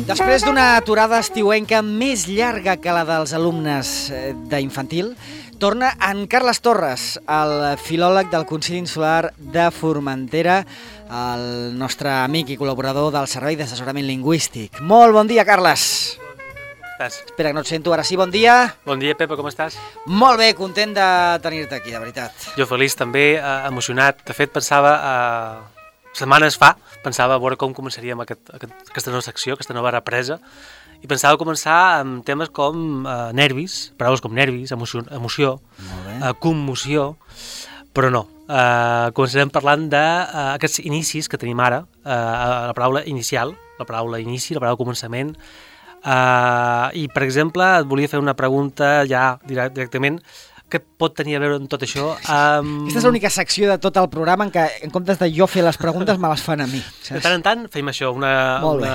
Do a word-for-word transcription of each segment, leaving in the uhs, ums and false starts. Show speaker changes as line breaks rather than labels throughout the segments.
Després d'una aturada estiuenca més llarga que la dels alumnes d'infantil, torna en Carles Torres, el filòleg del Consell Insular de Formentera, el nostre amic i col·laborador del Servei d'Assessorament Lingüístic. Molt bon dia, Carles.
Estàs?
Espera que no et sento, ara sí, bon dia.
Bon dia, Pepa, com estàs?
Molt bé, content de tenir-te aquí, de veritat.
Jo feliç també, eh, emocionat. De fet, pensava, eh, setmanes fa, pensava a veure com començaríem aquest, aquest, aquesta nova secció, aquesta nova represa, i pensava començar amb temes com eh, nervis, paraules com nervis, emoció, emoció eh, commoció, però no. Eh, començarem parlant d'aquests uh, inicis que tenim ara, uh, la paraula inicial, la paraula inici, la paraula començament, uh, i per exemple et volia fer una pregunta ja directament, què pot tenir a veure amb tot això? Um...
Aquesta és l'única secció de tot el programa en què, en comptes de jo fer les preguntes, me les fan a mi. Saps?
De tant en tant fem això, una, una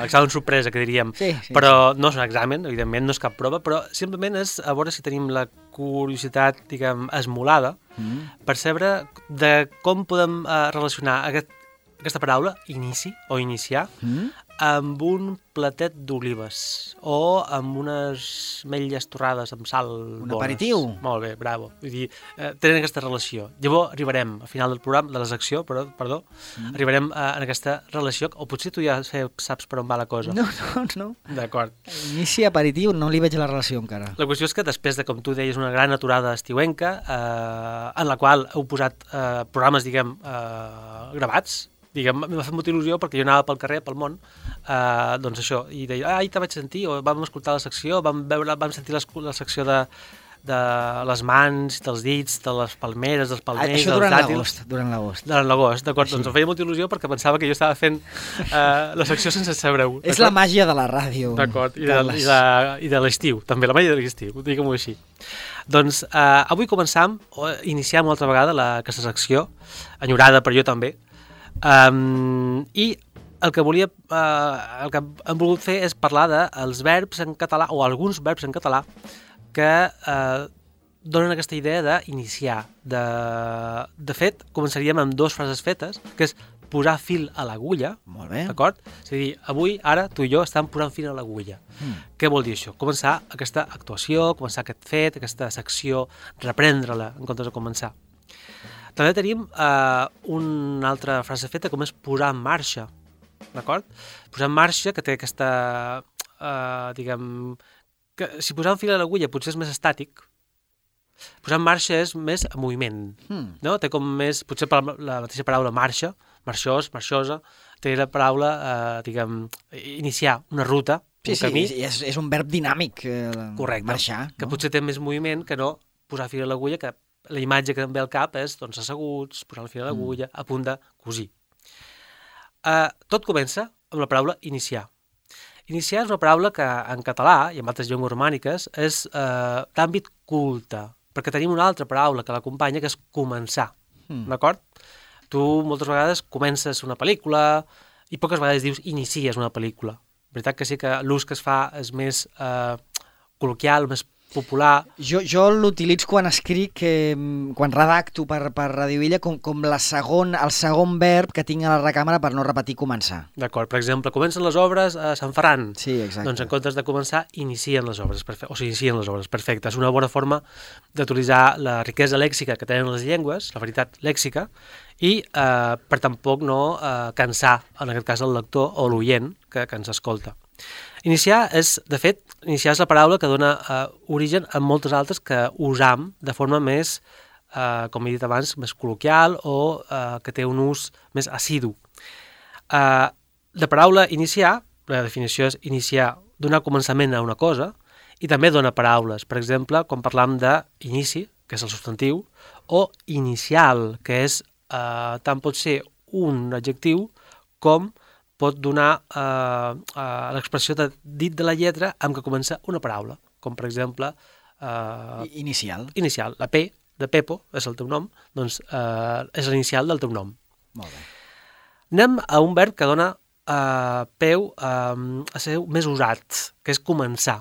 examen sorpresa, que diríem.
Sí, sí,
però
sí.
No és un examen, evidentment, no és cap prova, però simplement és a veure si tenim la curiositat, diguem, esmolada, mm. per saber de com podem uh, relacionar aquest, aquesta paraula, inici o iniciar, mm. amb un platet d'olives o amb unes ametlles torrades amb sal
Un
bones.
aperitiu.
Molt bé, bravo. Vull dir, eh, tenen aquesta relació. Llavors arribarem, al final del programa, de la secció, però, perdó, mm. arribarem a, a aquesta relació, o potser tu ja saps per on va la cosa.
No, no, no.
D'acord.
Inici aperitiu, no li veig la relació encara.
La qüestió és que després de, com tu deies, una gran aturada estiuenca, eh, en la qual heu posat eh, programes, diguem, eh, gravats, diguem, m'ha fet molta il·lusió perquè jo anava pel carrer, pel món, eh, doncs això, i deia, ah, ahir te vaig sentir, o vam escoltar la secció, vam, veure, vam sentir la, la secció de, de les mans, dels dits, de les palmeres, dels palmers,
això
dels
durant
dàtils.
l'agost, durant l'agost.
Durant l'agost, d'acord, doncs em feia molta il·lusió perquè pensava que jo estava fent eh, la secció sense saber-ho.
És la màgia de la ràdio.
D'acord, i de, i de, i de l'estiu, també, la màgia de l'estiu, diguem-ho així. Doncs eh, avui començam, o iniciem una altra vegada la, aquesta secció, enyorada per jo també, Um, i el que volia uh, el que hem volgut fer és parlar dels verbs en català, o alguns verbs en català que uh, donen aquesta idea d'iniciar. De, de fet, començaríem amb dues frases fetes, que és posar fil a l'agulla.
Molt bé.
D'acord? És a dir, avui, ara, tu i jo estem posant fil a l'agulla. Mm. Què vol dir això? Començar aquesta actuació, començar aquest fet, aquesta secció, reprendre-la en comptes de començar. També tenim eh, una altra frase feta com és posar en marxa, d'acord? Posar en marxa, que té aquesta, eh, diguem, que si posar un fil a l'agulla potser és més estàtic, posar en marxa és més en moviment, hmm. no? Té com més, potser la mateixa paraula marxa, marxós, marxosa, té la paraula, eh, diguem, iniciar una ruta,
sí,
un camí.
Sí, és, és un verb dinàmic, eh,
correcte,
marxar.
Que
no?
potser té més moviment que no posar fil a l'agulla, que la imatge que em ve al cap és doncs, asseguts, posar el fil a l'agulla, mm. a punt de cosir. Uh, tot comença amb la paraula iniciar. Iniciar és una paraula que en català i en altres llengües romàniques és uh, d'àmbit culte, perquè tenim una altra paraula que l'acompanya, que és començar. Mm. D'acord? Tu moltes vegades comences una pel·lícula i poques vegades dius inicies una pel·lícula. La veritat que sí que l'ús que es fa és més uh, col·loquial, més popular.
Jo, jo l'utilitzo quan escric, eh, quan redacto per, per Radio Illa, com, com la segon, el segon verb que tinc a la recàmera per no repetir començar.
D'acord, per exemple, comencen les obres a Sant Ferran.
Sí, exacte.
Doncs en comptes de començar, inicien les obres, perfecte, o s'inicien les obres, perfecte. És una bona forma d'utilitzar la riquesa lèxica que tenen les llengües, la veritat lèxica, i eh, per tampoc no eh, cansar, en aquest cas, el lector o l'oient que, que ens escolta. Iniciar és, de fet, iniciar és la paraula que dona eh, origen a moltes altres que usam de forma més, eh, com he dit abans, més col·loquial o eh, que té un ús més assidu. Eh, la paraula iniciar, la definició és iniciar, donar començament a una cosa, i també dona paraules. Per exemple, quan parlam d'inici, que és el substantiu, o inicial, que és eh, tant pot ser un adjectiu com pot donar eh, eh, l'expressió de dit de la lletra amb què comença una paraula, com per exemple... Eh,
inicial.
Inicial. La P de Pepo, és el teu nom, doncs eh, és l'inicial del teu nom.
Molt bé.
Anem a un verb que dona eh, peu eh, a ser més usat, que és començar.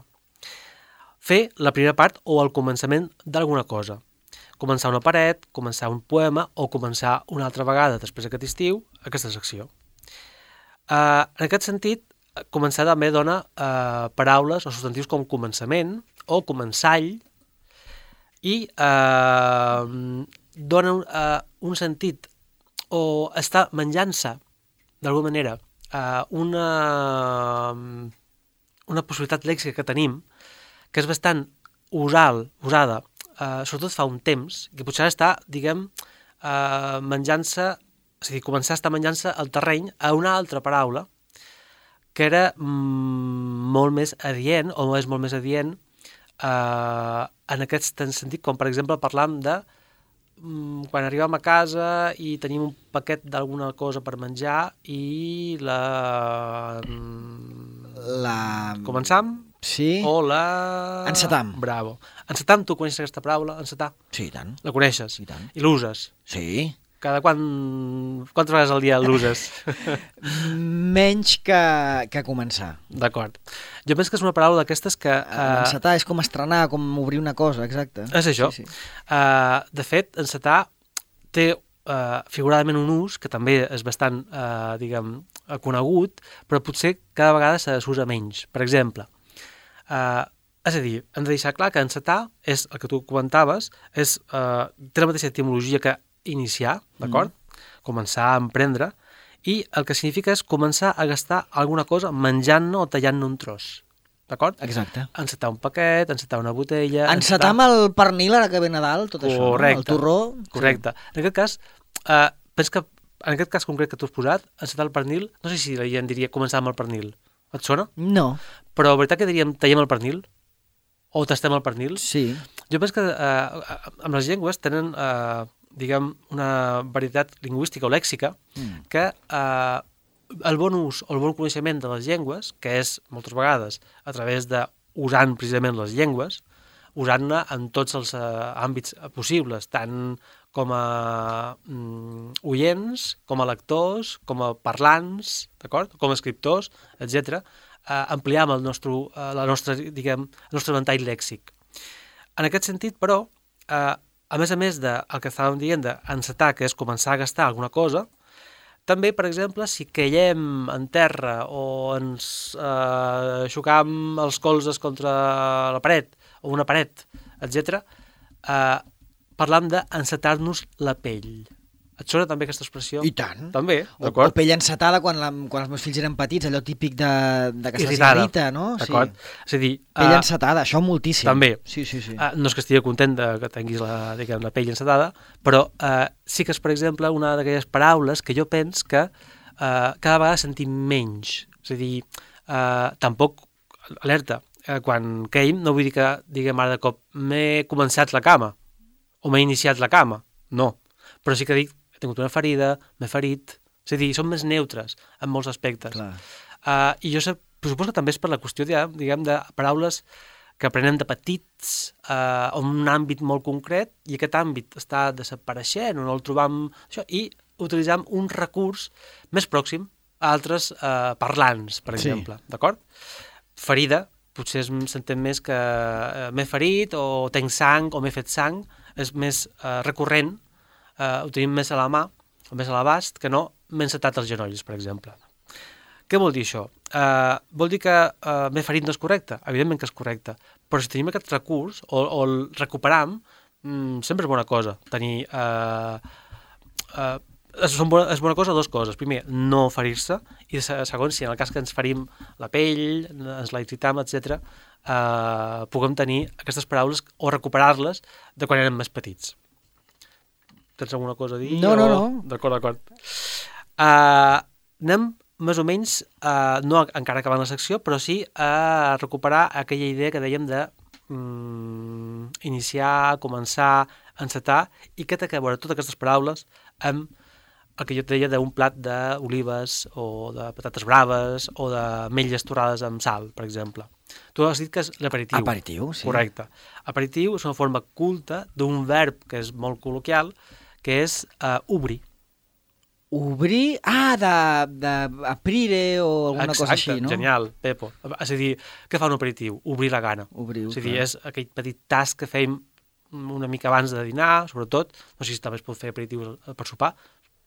Fer la primera part o el començament d'alguna cosa. Començar una paret, començar un poema o començar una altra vegada després d'aquest estiu aquesta secció. Uh, en aquest sentit, començar també dona eh, paraules o substantius com començament o començall i eh, dona un, eh, un sentit o està menjant-se d'alguna manera eh, una, una possibilitat lèxica que tenim que és bastant usal, usada, eh, sobretot fa un temps, que potser està, diguem, eh, menjant-se, és a dir, començar a estar menjant-se el terreny a una altra paraula que era mm, molt més adient, o és molt més adient, eh, en aquest sentit, com per exemple parlam de mm, quan arribem a casa i tenim un paquet d'alguna cosa per menjar i la...
La...
Començam?
Sí.
O la...
Encetam.
Bravo. Encetam, tu coneixes aquesta paraula? Encetar?
Sí, i tant.
La coneixes?
I tant.
I l'uses?
Sí.
Cada quan... Quantes vegades al dia l'uses?
Menys que, que començar.
D'acord. Jo penso que és una paraula d'aquestes que... Uh...
Encetar és com estrenar, com obrir una cosa, exacte.
És això.
Sí, sí.
Uh, de fet, encetar té uh, figuradament un ús que també és bastant, uh, diguem, conegut, però potser cada vegada se s'usa menys. Per exemple, uh, és a dir, hem de deixar clar que encetar és, el que tu comentaves, és, uh, té la mateixa etimologia que iniciar, d'acord? Mm. Començar a emprendre, i el que significa és començar a gastar alguna cosa menjant-ne o tallant-ne un tros, d'acord?
Exacte.
Encetar un paquet, encetar una botella...
Encetar amb el pernil ara que ve Nadal, tot això,
correcte,
no? El torró...
Correcte. Sí. En aquest cas, uh, penso que en aquest cas concret que tu has posat, encetar el pernil, no sé si la gent diria començar amb el pernil. Et sona?
No.
Però la veritat que diríem tallem el pernil? O tastem el pernil?
Sí.
Jo penso que eh, amb les llengües tenen, eh, diguem, una varietat lingüística o lèxica mm. que eh, el bon ús o el bon coneixement de les llengües, que és moltes vegades a través de usant precisament les llengües, usant-ne en tots els eh, àmbits possibles, tant com a mm, oients, com a lectors, com a parlants, d'acord? Com a escriptors, etcètera, eh, ampliar el nostre, eh, la nostra, diguem, el nostre ventall lèxic. En aquest sentit, però, eh, a més a més del que estàvem dient d'encetar, que és començar a gastar alguna cosa, també, per exemple, si caiem en terra o ens eh, xocam els colzes contra la paret o una paret, etcètera, eh, parlam d'encetar-nos la pell. Et sona també aquesta expressió?
I tant.
També,
o,
d'acord.
o pell encetada quan, la, quan els meus fills eren petits, allò típic de, de que se'ls
irritada,
irrita, no?
D'acord.
Sí.
És a dir...
Pell
uh,
encetada, això moltíssim.
També.
Sí, sí, sí.
Uh, no és que estigui content de que tinguis la, diguem, la pell encetada, però uh, sí que és, per exemple, una d'aquelles paraules que jo penso que uh, cada vegada sentim menys. És a dir, uh, tampoc, alerta, uh, quan queim, no vull dir que diguem ara de cop m'he començat la cama o m'he iniciat la cama, no. Però sí que dic, he tingut una ferida, m'he ferit, és a dir, són més neutres en molts aspectes. Uh, I jo sé, suposo que també és per la qüestió, diguem, de paraules que aprenem de petits uh, en un àmbit molt concret i aquest àmbit està desapareixent o no el trobam, això, i utilitzam un recurs més pròxim a altres uh, parlants, per exemple, sí. D'acord? Ferida, potser s'entén més que uh, m'he ferit o tenc sang o m'he fet sang, és més uh, recurrent, Uh, ho tenim més a la mà, o més a l'abast, que no m'he encetat els genolls, per exemple. Què vol dir això? Uh, vol dir que uh, m'he ferit no és correcte? Evidentment que és correcte, però si tenim aquest recurs, o, o el recuperam, mm, sempre és bona cosa. Tenir... Uh, uh, és, bona, és bona cosa dues coses. Primer, no ferir-se, i segon, si en el cas que ens ferim la pell, ens la irritam, etcètera, uh, puguem tenir aquestes paraules o recuperar-les de quan érem més petits. Tens alguna cosa a dir?
No,
o...
no, no.
D'acord, d'acord. Uh, anem més o menys, uh, no encara acabant la secció, però sí a recuperar aquella idea que dèiem de um, iniciar, començar, encetar, i que té que veure totes aquestes paraules amb el que jo et deia d'un plat d'olives o de patates braves o de metlles torrades amb sal, per exemple. Tu has dit que és l'aperitiu.
Aperitiu, sí.
Correcte. Aperitiu és una forma culta d'un verb que és molt col·loquial, que és uh, obrir.
Obrir? Ah, d'aprire o alguna
Exacte,
cosa així, no?
Genial, Pepo. És a dir, què fa un aperitiu? Obrir la gana.
Obrir,
és a dir, és aquell petit tas que fèiem una mica abans de dinar, sobretot, no sé si també es pot fer aperitius per sopar,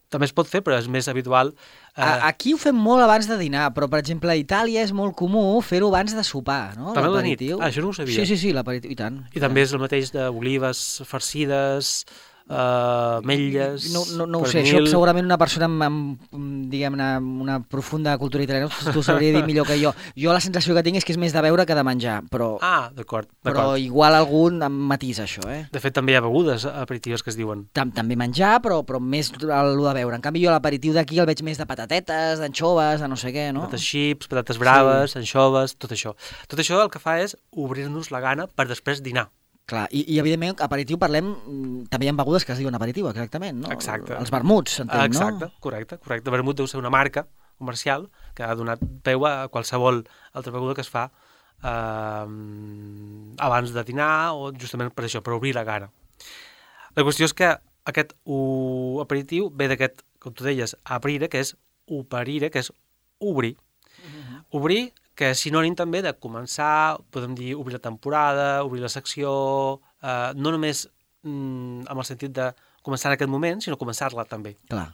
també es pot fer, però és més habitual.
Eh... Aquí ho fem molt abans de dinar, però, per exemple, a Itàlia és molt comú fer-ho abans de sopar, no?
També a la nit? Ah, això no ho sabia.
Sí, sí, sí, l'aperitiu, i tant.
I també és el mateix d'olives farcides, uh, ametlles...
No, no, no ho sé, això segurament una persona amb, amb diguem-ne, una profunda cultura italiana t'ho sabria dir millor que jo. Jo la sensació que tinc és que és més de beure que de menjar, però...
Ah, d'acord.
Però igual algun em matisa això, eh?
De fet, també hi ha begudes aperitives que es diuen.
També menjar, però, però més el de beure. En canvi, jo l'aperitiu d'aquí el veig més de patatetes, d'anxoves, de no sé què, no?
Patates xips, patates braves, sí. Anxoves, tot això. Tot això el que fa és obrir-nos la gana per després dinar.
Clar, i, i evidentment, aperitiu parlem, també hi ha begudes que es diuen aperitiu, exactament, no?
Exacte.
Els vermuts, entenc,
Exacte, no? Exacte, correcte, correcte. Vermut deu ser una marca comercial que ha donat peu a qualsevol altra beguda que es fa eh, abans de dinar o justament per això, per obrir la gana. La qüestió és que aquest uh, aperitiu ve d'aquest, com tu deies, aprire, que és operire, que és obrir. Uh-huh. Obrir, que és sinònim també de començar, podem dir, obrir la temporada, obrir la secció, eh, no només mm, amb el sentit de començar en aquest moment, sinó començar-la també.
Clar.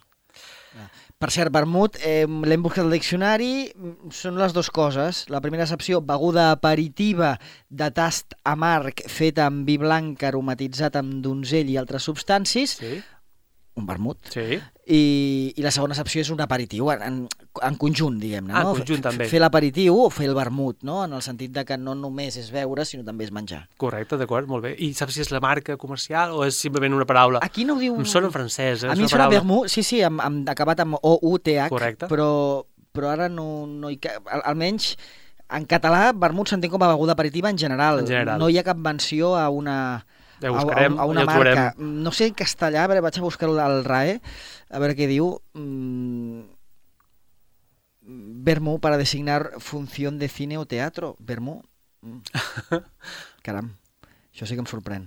Per cert, vermut, eh, l'hem buscat al diccionari, són les dues coses. La primera accepció, beguda aperitiva de tast amarg feta amb vi blanc aromatitzat amb donzell i altres substàncies,
sí.
Un vermut,
sí.
I, i la segona accepció és un aperitiu, en, en conjunt, diguem-ne.
Ah,
no?
en conjunt, també.
Fer l'aperitiu o fer el vermut, no? En el sentit de que no només és beure, sinó també és menjar.
Correcte, d'acord, molt bé. I saps si és la marca comercial o és simplement una paraula?
Aquí no ho diu...
Em sona en francès, eh?
A mi em sona vermut, sí, sí, amb, amb, acabat amb O U T H,
correcte.
Però, però ara no, no hi... Al, almenys, en català, vermut s'entén com a beguda aperitiva en general.
En general.
No hi ha cap menció a una...
Ja buscarem,
a, a una
ja
marca. No sé en castellà, a veure, vaig a buscar al R A E, a veure què diu. Mm, vermú para designar función de cine o teatro. Vermú. Mm. Caram, això sí que em sorprèn.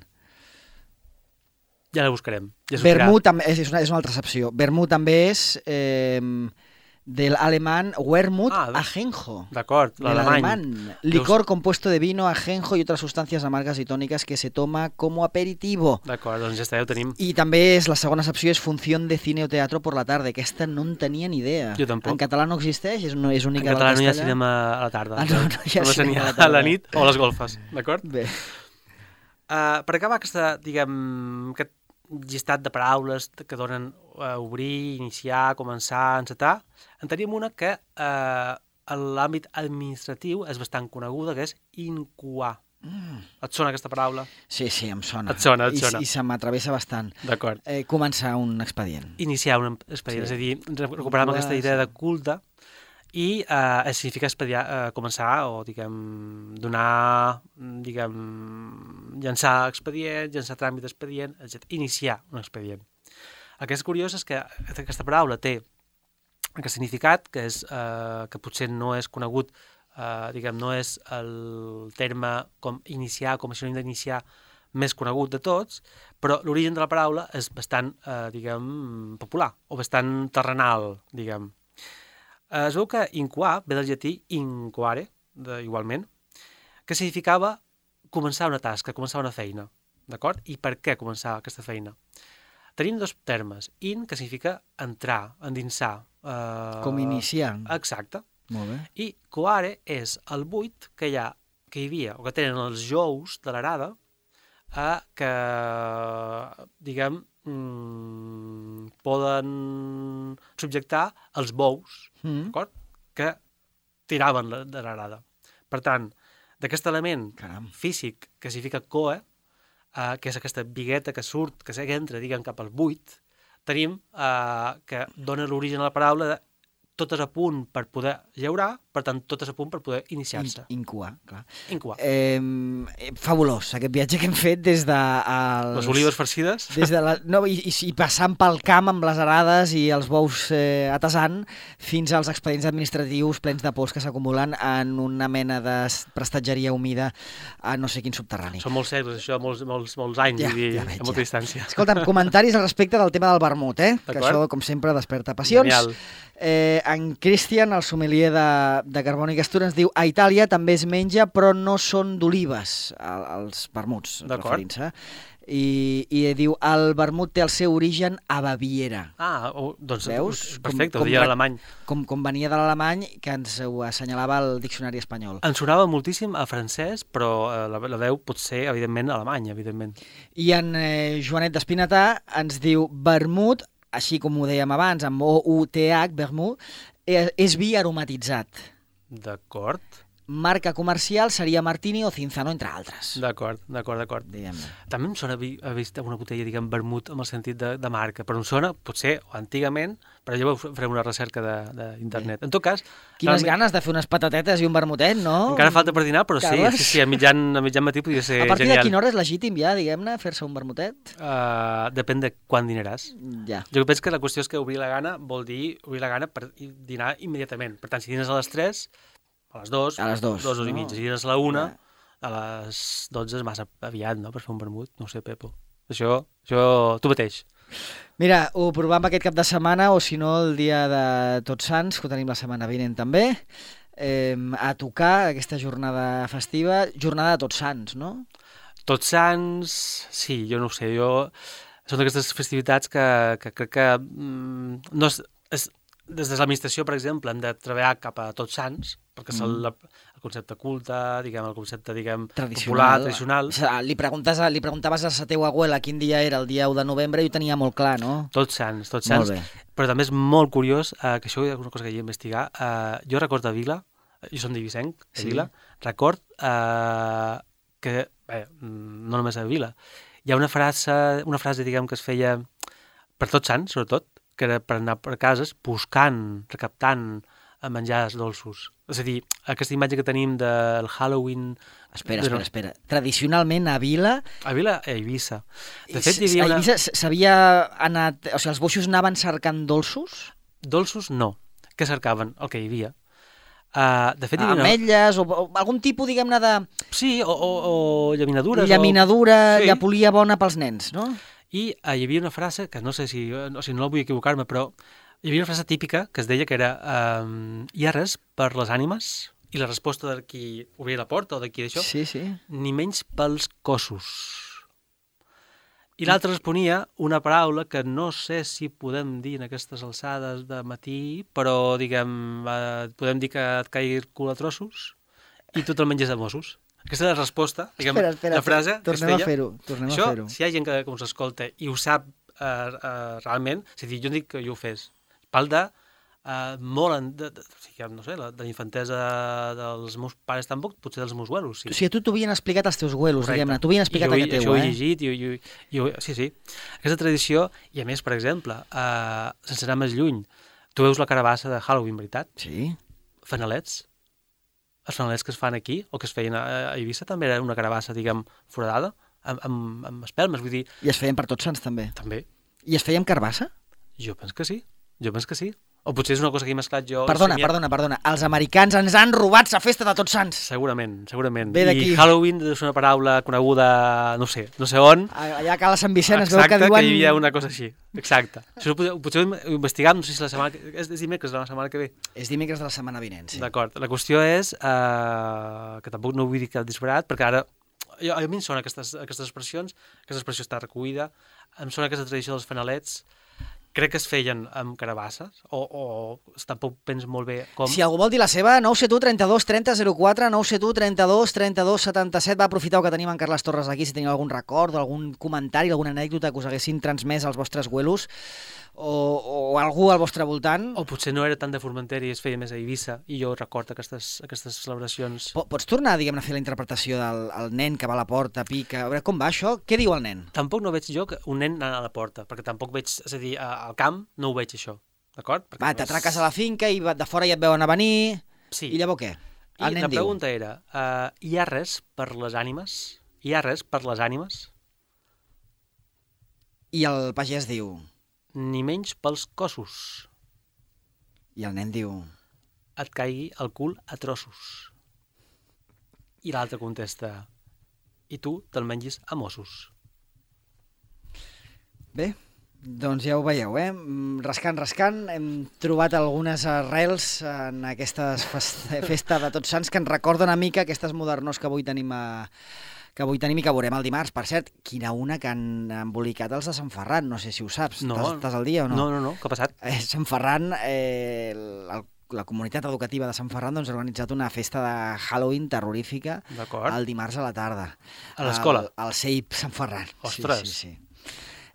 Ja la buscarem. Ja
vermú també és, és, una, és una altra excepció. Vermú també és... Eh, del alemán Wermut
ah,
ajenjo.
D'acord, l'alemany.
Licor Deus... compuesto de vino, ajenjo y otras sustancias amargas y tónicas que se toma como aperitivo.
D'acord, doncs ja està, ja ho tenim.
I també és, la segona excepció és función de cine o teatro por la tarde. Aquesta no en tenia ni idea.
Jo tampoc.
En català no existeix? És, no, és única
en català no hi ha cinema a la tarda.
Ah, no, no hi ha
no
cinema
a la, a la nit o a les golfes, d'acord?
Bé.
Uh, per acabar aquesta, diguem, aquest llistat de paraules que donen uh, obrir, iniciar, començar, encetar, en tenim una que eh, en l'àmbit administratiu és bastant coneguda, que és incoar. Mm. Et sona aquesta paraula?
Sí, sí, em sona.
Et sona, et sona.
I, i se m'atravessa bastant.
D'acord.
Eh, començar un expedient.
Iniciar un expedient, sí. És a dir, recuperar aquesta idea sí. de culte i eh, significa expediar, eh, començar o, diguem, donar, diguem, llançar expedient, llançar tràmit d'expedient, etcètera. Iniciar un expedient. El que és curiós és que aquesta paraula té aquest significat, que, és, eh, que potser no és conegut, eh, diguem, no és el terme com iniciar, com a sinònim d'iniciar, més conegut de tots, però l'origen de la paraula és bastant, eh, diguem, popular, o bastant terrenal, diguem. Eh, es veu que incoar ve del llatí incoare, de, igualment, que significava començar una tasca, començar una feina, d'acord? I per què començar aquesta feina? Tenim dos termes. In, que significa entrar, endinsar. Uh,
Com iniciar.
Exacte.
Molt bé.
I coare és el buit que hi ha, que hi havia, o que tenen els jous de l'arada, eh, que, diguem, mm, poden subjectar els bous, mm. d'acord? Que tiraven de l'arada. Per tant, d'aquest element
Caram.
físic que significa coe, Uh, que és aquesta bigueta que surt, que entra, diguem, cap al buit, tenim uh, que dona l'origen a la paraula de totes a punt per poder llaurar, per tant, totes a punt per poder iniciar-se.
In, incoar, clar.
Incoar.
Eh, fabulós, aquest viatge que hem fet des de... Els,
les olives farcides.
Des de la, no, i, i, i passant pel camp amb les arades i els bous eh, atasant, fins als expedients administratius plens de pols que s'acumulen en una mena de prestatgeria humida a no sé quin subterrani.
Són molts segles, això, molts, molts, molts anys,
ja,
vull dir,
ja veig,
a molta
ja.
distància.
Escolta'm, comentaris al respecte del tema del vermut, eh? Que això, com sempre, desperta passions.
Genial.
Eh, en Christian, el sommelier de, de Carbònic Astur, ens diu a Itàlia també es menja, però no són d'olives, els vermuts, referint-se. i, i diu, el vermut té el seu origen a Baviera.
Ah, oh, doncs
Veus?
perfecte,
Com-
ho deia
com-
en alemany.
Com, com venia de l'alemany, que ens ho assenyalava el diccionari espanyol.
Em sonava moltíssim a francès, però eh, la, la veu pot ser, evidentment, alemany, evidentment.
I en eh, Joanet d'Espinatà ens diu, vermut, així com ho dèiem abans, amb O U T H, vermut, eh, és vi aromatitzat.
D'acord,
Marca comercial seria Martini o Cinzano, entre altres.
d'acord, d'acord, d'acord.
Diguem-ne.
També em sona haver haver vist una botella, diguem, vermut amb el sentit de, de marca, però em sona, potser, o antigament, però llavors farem una recerca d'internet. En tot cas...
Quines
realment,
ganes de fer unes patatetes i un vermutet, no?
Encara falta per dinar, però sí,
Carles?
sí, sí, a mitjan, a mitjan matí podria ser
A partir
genial.
de quina hora és legítim ja, diguem-ne, fer-se un vermutet?
Uh, depèn de quan dinaràs.
Ja.
Jo penso que la qüestió és que obrir la gana vol dir obrir la gana per i- dinar immediatament. Per tant, si dines a les tres, a les dues,
A les dues,
dues, dues i
no?
mitja. Si dines a la una,
Ja.
a les dotze és massa aviat, no?, per fer un vermut. No ho sé, Pepo. Això, això tu mateix.
Mira, ho provem aquest cap de setmana o si no el dia de Tots Sants, que ho tenim la setmana vinent també, eh, a tocar aquesta jornada festiva, jornada de Tots Sants, no?
Tots Sants, sí, jo no ho sé, jo... Són d'aquestes festivitats que, que crec que... Mm, no és, és, des de l'administració, per exemple, hem de treballar cap a Tots Sants, perquè és el, el concepte culte, diguem, el concepte, diguem, popular, tradicional.
O sigui, li, preguntes, a- li preguntaves a la teva abuela quin dia era el dia u de novembre i ho tenia molt clar, no?
Tots Sants, Tots
Molt
Sants.
bé.
Però també és molt curiós, eh, que això és una cosa que he d'investigar. Eh, jo record a Vila, jo som d'Ivicenc, de
Sí.
Vila, record eh, que, bé, no només a Vila, hi ha una frase, una frase, diguem, que es feia per Tots Sants, sobretot, que era per anar per cases buscant, recaptant eh, menjars dolços. És a dir, aquesta imatge que tenim del Halloween...
Espera,
Però-
espera, espera. Tradicionalment a Vila,
A Vila, a Eivissa. De
s-
fet, hi havia
a
una...
Eivissa s- s'havia anat... O sigui, els boixos anaven cercant dolços?
Dolços, no. Què cercaven? El que hi havia. Uh, de fet, hi havia... una-
Ametlles o, o algun tipus, diguem-ne, de
Sí, o, o, o llaminadures.
llaminadura,
Sí.
llapolia bona pels nens, no?
I uh, hi havia una frase, que no sé si, no, si no la vull equivocar-me, però hi havia una frase típica que es deia que era um, hi ha res per les ànimes? I la resposta de qui obria la porta o de qui d'això,
Sí, sí.
ni menys pels cossos. I l'altre responia una paraula que no sé si podem dir en aquestes alçades de matí, però, diguem, eh, podem dir que et caigui el cul a trossos i tu te'l menges de Mossos. Aquesta és la resposta, diguem,
Espera, espera,
la frase que es
tornem a
feia.
fer-ho, tornem
Això,
a fer-ho.
si hi ha gent que, que us escolta i ho sap eh, eh, realment, és a dir, jo no dic que jo ho fes, pal de eh, molt, en, de, de, o sigui, no sé, la, de la infantesa dels meus pares tampoc, potser dels meus abuelos, sí.
O sigui, a tu t'ho havien explicat els teus abuelos,
Correcte.
diguem-ne, t'ho havien explicat
I jo,
aquest teu,
això ho he
eh?
llegit, i, i, i, i, sí, sí. Aquesta tradició, i a més, per exemple, eh, sense anar més lluny, tu veus la carabassa de Halloween, veritat?
Sí.
Fanalets. Els fanalets que es fan aquí, o que es feien a, a Eivissa, també era una carabassa, diguem, foradada, amb, amb, amb espelmes, vull dir,
I es feien per Tots Sants, també.
també.
I es feien amb carbassa?
Jo penso que sí, jo penso que sí. O potser és una cosa que he mesclat jo...
Perdona,
somiat.
perdona, perdona. Els americans ens han robat la festa de Tots Sants.
Segurament, segurament.
Ve d'aquí.
I Halloween és una paraula coneguda, no sé, no sé on.
Allà a Cala Sant Vicent es veu
Exacte,
que diuen...
que hi havia una cosa així. Exacte. Això potser, potser ho investigam, no sé si la setmana... que- És, és dimecres de la setmana que ve.
És dimecres de la setmana vinent, sí.
D'acord. La qüestió és eh, que tampoc no vull dir que el disparat, perquè ara jo, a mi em sona aquestes, aquestes expressions, aquesta expressió està recollida, em sona aquesta tradició dels fanalets, crec que es feien amb carabasses, o, o tampoc penso molt bé com...
Si algú vol dir la seva, nou set u trenta-dos trenta zero quatre, nou set u trenta-dos trenta-dos setanta-set. Va, aprofiteu que tenim en Carles Torres aquí, si teniu algun record o algun comentari, alguna anècdota que us haguessin transmès als vostres güelos o, o algú al vostre voltant.
O potser no era tant de Formentera i es feia més a Eivissa, i jo recordo aquestes, aquestes celebracions.
Po- Pots tornar, diguem-ne, a fer la interpretació del el nen que va a la porta, pica... A veure, com va això? Què diu el nen?
Tampoc no veig jo que un nen anant a la porta, perquè tampoc veig, és a dir, a- al camp no ho veig això, d'acord? Perquè
Va,
no és-
t'atraques a la finca i va- de fora ja et veuen a venir...
Sí.
I llavors què? El
I
nen
la
diu...
pregunta era, uh, hi ha res per les ànimes? Hi ha res per les ànimes?
I el pagès diu...
Ni menys pels cossos.
I el nen diu...
Et caigui el cul a trossos. I l'altre contesta, i tu te'l mengis a Mossos.
Bé, doncs ja ho veieu, eh? Mm, Rascant, rascant, hem trobat algunes arrels en aquesta festa de Tots Sants que ens recorda una mica aquestes modernors que avui tenim a, que avui tenim i que veurem el dimarts. Per cert, quina una que han embolicat els de Sant Ferran, no sé si ho saps.
No.
Estàs al dia o no?
No, no, no, què ha passat?
Eh, Sant Ferran, eh, el, la comunitat educativa de Sant Ferran doncs, ha organitzat una festa de Halloween terrorífica el dimarts a la tarda.
A l'escola?
Al, al C I P Sant Ferran.
Ostres!
Sí, sí, sí.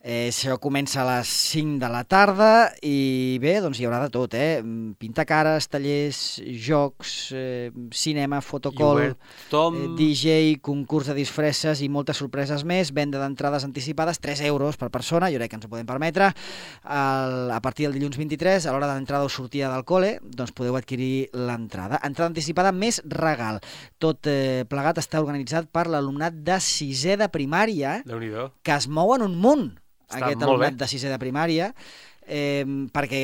Eh, això comença a les cinc de la tarda i bé, doncs hi haurà de tot, eh? Pintar cares, tallers, jocs, eh, cinema, fotocall,
Tom...
eh, D J, concurs de disfresses i moltes sorpreses més, venda d'entrades anticipades, tres euros per persona, jo crec que ens ho podem permetre. El, a partir del dilluns vint-i-tres, a l'hora de l'entrada o sortida del col·le, doncs podeu adquirir l'entrada. Entrada anticipada més regal. Tot eh, plegat està organitzat per l'alumnat de sisè de primària,
Déu-n'hi-do.
que es mou en un munt.
Està
Aquest
molt
alumnat
bé.
de sisè de primària, eh, perquè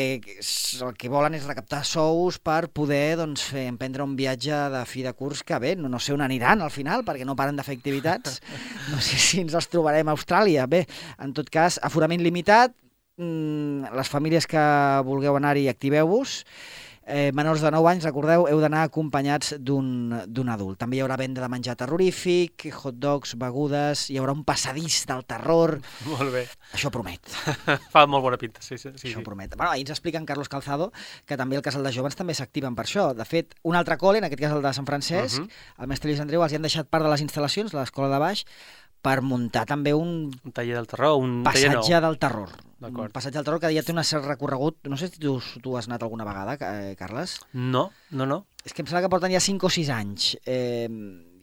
el que volen és recaptar sous per poder doncs, fer, emprendre un viatge de fi de curs que bé, no, no sé on aniran al final, perquè no paren de fer activitats. No sé si ens els trobarem a Austràlia. Bé, en tot cas, aforament limitat, mmm, les famílies que vulgueu anar-hi, activeu-vos. Eh, menors de nou anys, recordeu, heu d'anar acompanyats d'un d'un adult. També hi haurà venda de menjar terrorífic, hot dogs, begudes, hi haurà un passadís del terror.
Molt bé.
Això promet.
Fa molt bona pinta, sí, sí. sí
Això
sí.
promet. Bueno, ahir ens explica en Carlos Calzado que també el casal de joves també s'activen per això. De fet, un altre col·le, en aquest cas el de Sant Francesc,
Uh-huh.
el mestre Lluís Andreu, els hi han deixat part de les instal·lacions, l'escola de baix, per muntar també un
Un taller del terror, un taller nou.
passatge del terror.
D'acord.
Un passatge del terror que ja té un cert recorregut. No sé si tu, tu has anat alguna vegada, eh, Carles.
No, no, no.
És que em sembla que porten ja cinc o sis anys. Eh,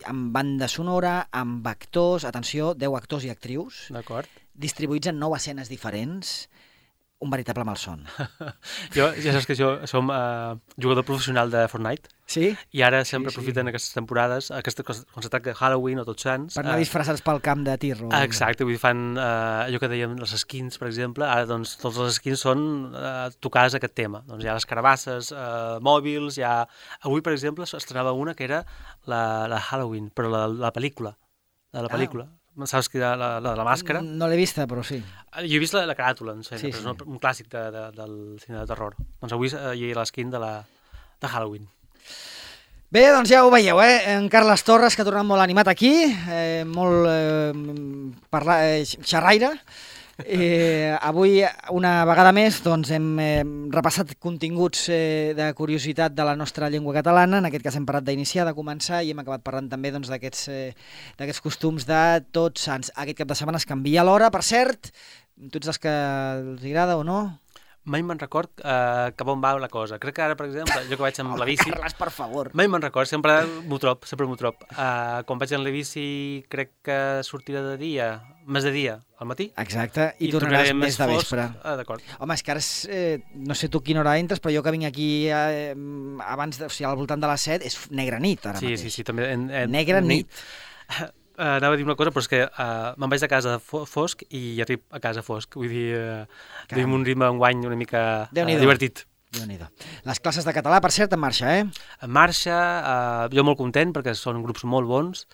amb banda sonora, amb actors, atenció, deu actors i actrius,
D'acord.
distribuïts en nou escenes diferents. Un veritable malson.
Jo, ja saps que jo som uh, jugador professional de Fortnite
Sí?
i ara sempre
Sí, sí.
aprofiten aquestes temporades, aquesta cosa, quan se tracta de Halloween o Tots Sants.
Per anar
eh,
disfressats pel camp de tir. O...
Exacte, vull dir, fan uh, allò que dèiem, les skins, per exemple, ara doncs tots les skins són uh, tocades a aquest tema. Doncs hi ha les carabasses, uh, mòbils, hi ha... Avui, per exemple, estrenava una que era la, la Halloween, però la, la pel·lícula, de la
Ah.
pel·lícula. Saps que la, la, la de la màscara?
No l'he vista, però sí.
Jo he vist la, la caràtula, en sí,
Sí,
però
sí.
és un clàssic de, de, del cine de terror. Doncs avui eh, hi ha l'esquin de, la, de Halloween.
Bé, doncs ja ho veieu, eh? En Carles Torres, que ha tornat molt animat aquí, eh, molt eh, parla, eh, xerraire. Eh, avui, una vegada més, doncs, hem eh, repassat continguts eh, de curiositat de la nostra llengua catalana. En aquest cas hem parat d'iniciar, de començar, i hem acabat parlant també doncs, d'aquests eh, d'aquests costums de Tots Sants. Aquest cap de setmana es canvia l'hora, per cert. Tots els que els agrada o no?
Mai me'n record uh, cap on va la cosa. Crec que ara, per exemple, jo que vaig amb la bici...
Carles, per favor.
Mai me'n record, sempre m'ho trob, sempre m'ho trob. Uh, quan vaig amb la bici crec que sortirà de dia, més de dia, al matí.
Exacte, i, I tornaràs més de
fosc.
vespre.
Ah, d'acord.
Home, és que ara, és, eh, no sé tu quina hora entres, però jo que vinc aquí eh, abans, de, o sigui, al voltant de les set, és negra nit ara
sí,
mateix.
Sí, sí, també. En, en,
Negra nit.
Uh, anava a dir una cosa, però és que uh, me'n vaig de casa fo fosc i arribo a casa fosc. Vull dir, uh, tenim un ritme enguany una mica uh, divertit.
Déu-n'hi-do. Les classes de català, per cert, en marxa, eh?
En marxa, uh, jo molt content perquè són grups molt bons.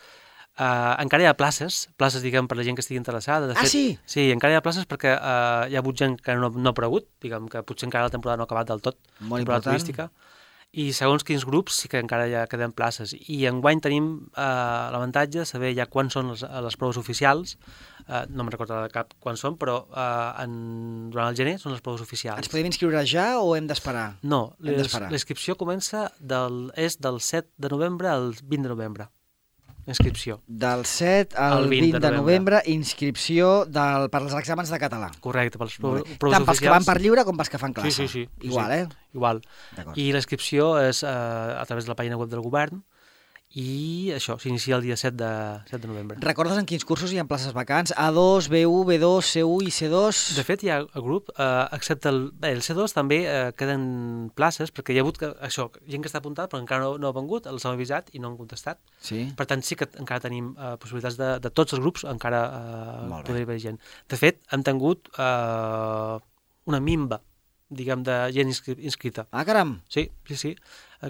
Uh, encara hi ha places, places, diguem, per la gent que estigui interessada. De
ah,
fet,
sí?
Sí, encara hi ha places perquè uh, hi ha hagut gent que no, no ha aparegut, diguem, que potser encara la temporada no ha acabat del tot,
molt
temporada
important.
turística. I segons quins grups sí que encara ja queden places. I enguany tenim eh, l'avantatge de saber ja quan són les, les proves oficials. Eh, no me'n recordo de cap quan són, però eh, en, durant el gener són les proves oficials.
Ens podem inscriure ja o hem d'esperar?
No, la inscripció comença del, és del set de novembre al vint de novembre. Inscripció.
Del set al vint, vint de novembre, novembre inscripció del, per als exàmens de català.
Correcte, per les proves oficials.
Tant pels que van per lliure com pels que fan classe.
Sí, sí, sí.
Igual,
sí,
eh?
Igual. I la inscripció és eh, a través de la pàgina web del govern i això, s'inicia el dia set de, set de novembre.
Recordes en quins cursos hi ha places vacants? A dos, B u, B dos, C u i C dos?
De fet, hi ha el grup, eh, excepte el, bé, el C dos també eh, queden places, perquè hi ha hagut que, això, gent que està apuntat però encara no, no ha vengut, els hem avisat i no han contestat.
Sí.
Per tant, sí que encara tenim eh, possibilitats de, de tots els grups, encara eh, poder haver gent. De fet, hem tingut eh, una minva, diguem, de gent inscri inscrita.
Ah, caram!
Sí, sí, sí,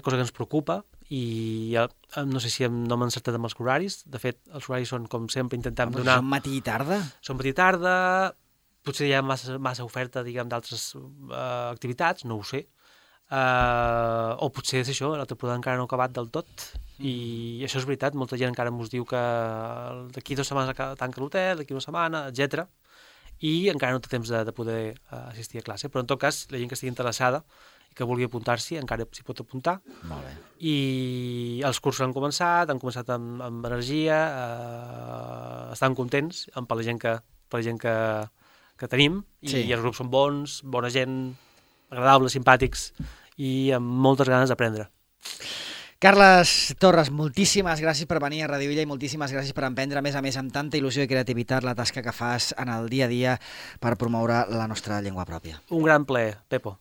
cosa que ens preocupa i ja, no sé si no m'he encertat amb els horaris. De fet, els horaris són, com sempre, intentem
ah,
donar...
Són matí i tarda?
Són matí i tarda, potser hi ha massa, massa oferta, diguem, d'altres uh, activitats, no ho sé. Uh, o potser és això, la temporada encara no ha acabat del tot, i això és veritat, molta gent encara ens diu que d'aquí dues setmanes tanca l'hotel, d'aquí una setmana, etcètera, i encara no té temps de, de poder uh, assistir a classe, però en tot cas, la gent que estigui interessada i que vulgui apuntar-s'hi, encara s'hi pot apuntar.
Molt bé.
I els cursos han començat, han començat amb, amb energia, uh, estan contents amb per la gent que, per la gent que, que tenim,
Sí.
i els grups són bons, bona gent, agradables, simpàtics, i amb moltes ganes d'aprendre.
Carles Torres, moltíssimes gràcies per venir a Radio Illa i moltíssimes gràcies per emprendre, a més a més, amb tanta il·lusió i creativitat, la tasca que fas en el dia a dia per promoure la nostra llengua pròpia.
Un gran plaer, Pepo.